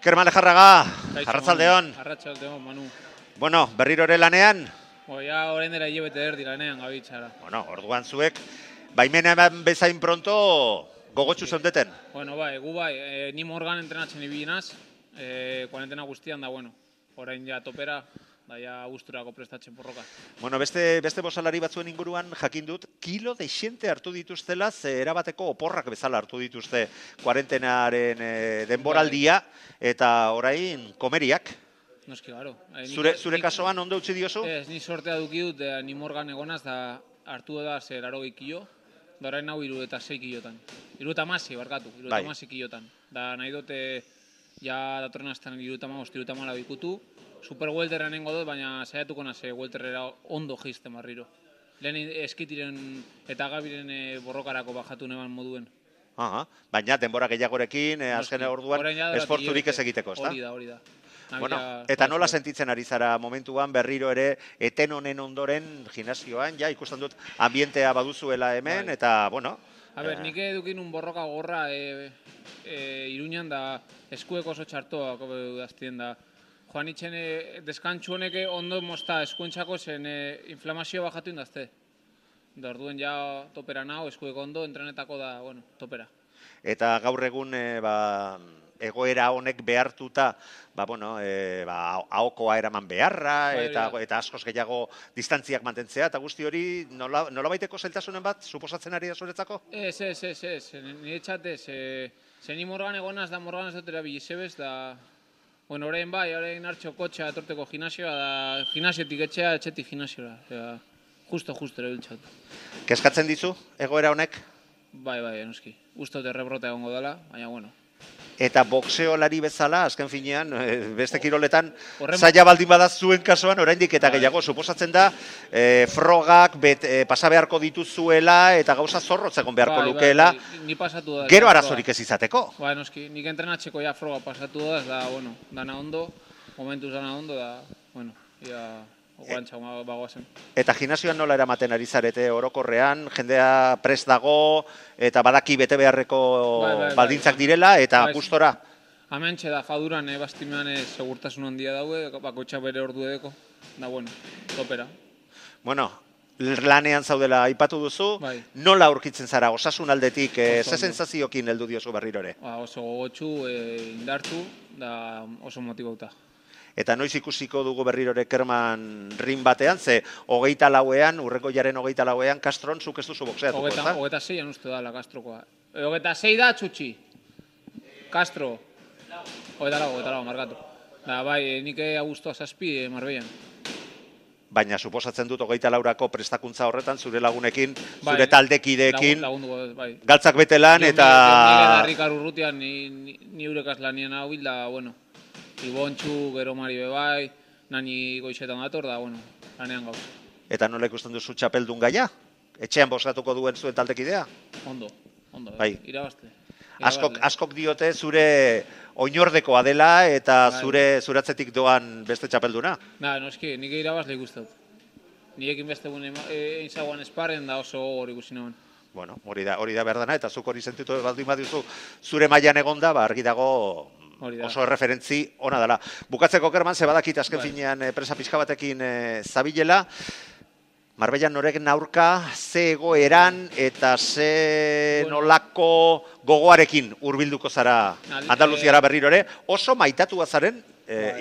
Kerman Lejarraga, arratsaldeon. Arratsaldeon, Manu. Bueno, berriro ere lanean? Ja, orain dela hilabete erdi lanean gabiltzara. Bueno, orduan zuek, baimena eman bezain pronto gogotsu zondeten. Bueno, gu ni Morgan entrenatzen ibilinaz, kuarentena guztian da, bueno, orain ja topera, da ja gusturako prestatzen porroka. Bueno, beste bosalari batzuen inguruan jakin dut, kilo dexente hartu dituztela, ze erabateko oporrak bezala hartu dituzte kuarentenaren denboraldia, eta orain komeriak. Noski, garo. Zure kasuan ondo utzi diozu? Ez, ni sortea duki dut, ni Morgan egonaz, da hartu da 80 kilo, da orain hau 76 kilotan. 76, barkatu, 76 kilotan. Da nahi dute, ja datorren astan 75 ikutu, super welterra nengo dut, baina saiatuko naze welterrera ondo geizten barriro. Lehen eskitiren eta gabiren borrokarako bajatu neban moduen. Baina denbora gehiagorekin, azken orduan, esfortzurik ez egiteko, ezta? Hori da. Bueno, eta nola sentitzen ari zara momentuan berriro ere eten honen ondoren gimnasioan, ja ikusten dut ambientea baduzuela hemen, eta, bueno... Nik edukin un borroka gorra Iruñan da eskueko oso txartoak daztien da. Joan itxen deskantxu honek ondo mozta eskuentzako zen inflamazio bajatu indazte. Da orduen ja topera nago, eskueko ondo, entrenetako da, bueno, topera. Eta gaur egun, egoera honek behartuta, ahokoa eraman beharra, eta askoz gehiago distantziak mantentzea, eta guzti hori nolabaiteko zailtasunen bat, suposatzen ari da zuretzako? Ez, nire txatez, zeni Morgan egonaz da Morgan ez dutera bilizebez, da, bueno, orain hartxo kotxa etorteko gimnasioa, da gimnasiotik etxetik gimnasioa, justo ere biltxat. Kezkatzen dizu, egoera honek? Bai, noski, uste dut errebrotea egongo dela, baina, bueno. Eta boxeolari bezala, azken finean, beste kiroletan, zaila baldin badaz zuen kasuan, oraindik eta gehiago, suposatzen da, frogak pasa beharko dituzuela, eta gauza zorrotz egon beharko lukeela, gero arazorik ez izateko. Bai, noski, nik entrenatzeko ja froga pasatu da, da, bueno, dana ondo, momentuz dana ondo, da, bueno, ia... Eta gimnasioan nola eramaten ari zarete orokorrean, jendea prest dago, eta badaki bete beharreko baldintzak direla, eta gustora? Hementxe da, faduran, bastimean segurtasun handia daue, bakotxa bere ordu edeko, da, bueno, topera. Bueno, lanean zaudela aipatu duzu, nola aurkitzen zara, osasun aldetik, ze sensaziokin heldu diozu berriro ere? Oso gogotsu, indartu, da oso motibauta. Eta noiz ikusiko dugu berrirore Kerman rin batean, ze 24ean, urreko jaren 24ean, Castron zuk ez duzu boxeatuko, ezta? 26an uste da, la Castrokoa. 26 da, txutxi. Castro. 24, markatu. Da, bai, nik Augusto Zazpi, Marbellan. Baina, suposatzen dut 24ko prestakuntza horretan, zure lagunekin, zure taldekideekin, galtzak betelan, eta... Nire darrikar urrutian, ni urekaz lanien hau hil da, bueno, Ibontxu, gero Mari bebai, nani goixetan dator da, bueno, lanean gauz. Eta nola ikusten duzu txapeldun gaia? Etxean bozkatuko duen zuen taldekidea? Ondo, irabazte. Askok diote zure oinordekoa dela eta zuratzetik doan beste txapelduna? Noski, nik irabazle ikustut. Nirekin beste gune einzagoan esparren da oso hori ikusi nagoen. Bueno, hori da behar dana, eta zuk hori sentitu baldin baduzu zure mailan egonda, argi dago oso referentzi ona dela. Bukatzeko Kerman, ze badakit azken finean presa pixka batekin zabilela, Marbellan noreken aurka, ze egoeran eta ze nolako gogoarekin hurbilduko zara Andaluziara berriro ere, oso maitatua zaren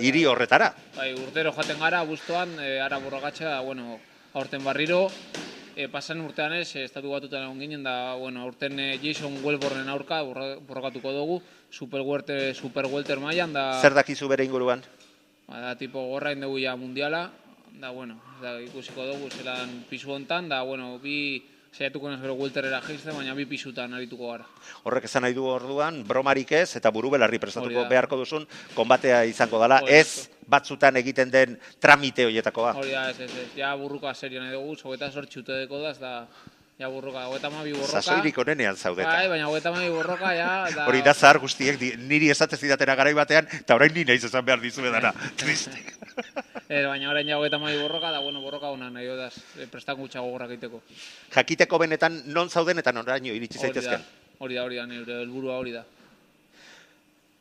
hiri horretara. Urtero jaten gara, abuztuan, ara borrogatxa, bueno, aurten barriro, pasan urtean ez, estatu batutan egon ginen, da, bueno, aurten Jason Welbornen aurka borrokatuko dugu, super welter mailan, da... Zer dakizu bere inguruan? Da, tipo, gorra indegu ja mundiala, da, bueno, ikusiko dugu zelan pisu hontan, da, bueno, bi saiatuko naz gero welterera geizte, baina bi pisutan arituko gara. Horrek esan nahi du orduan, bromarik ez, eta buru belarri prestatuko beharko duzun, konbatea izango dela, ez batzutan egiten den tramite horietakoa. Hori da, ez, ja burruka serio nahi dugu, zogeta sortxute deko da, da, ja burruka, 52 borroka. Zazoirik onenean zaudeta. Baina 52 borroka, ja... Hori da zahar guztiek, niri esatez idatera garai batean, eta orain ni nahiz esan behar dizue dara, triste. Baina orain ja 52 borroka, da, bueno, borroka hona nahi odaz, prestakuntza gogorrak egiteko. Jakiteko benetan non zauden eta noraino iritsi zaitezken. Hori da, nire helburua hori da.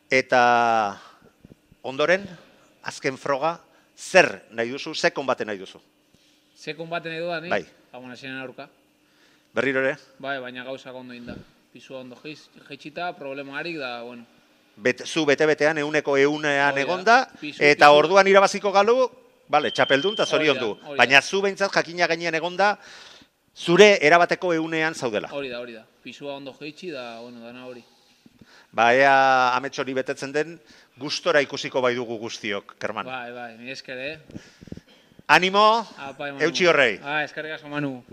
Eta ondoren, azken froga, zer nahi duzu, ze konbate nahi duzu? Ze konbate nahi dudan, Bai. Gabonasien aurka. Berriro ere? Bai, baina gauzak ondo inda. Pisua ondo jeitxita, problemarik da, bueno. Zu bete-betean, egunean egonda, eta orduan irabaziko galu, bale, txapeldun eta zorion du. Baina zu behintzat jakina gainean egonda, zure erabateko egunean zaudela. Hori da. Pisua ondo jeitxi da, bueno, dana hori. Ba, ea amets hori betetzen den, gustora ikusiko bai dugu guztiok, Kerman. Bai, mi esker, Animo, eutxi horrei. Eskerrik asko, Manu.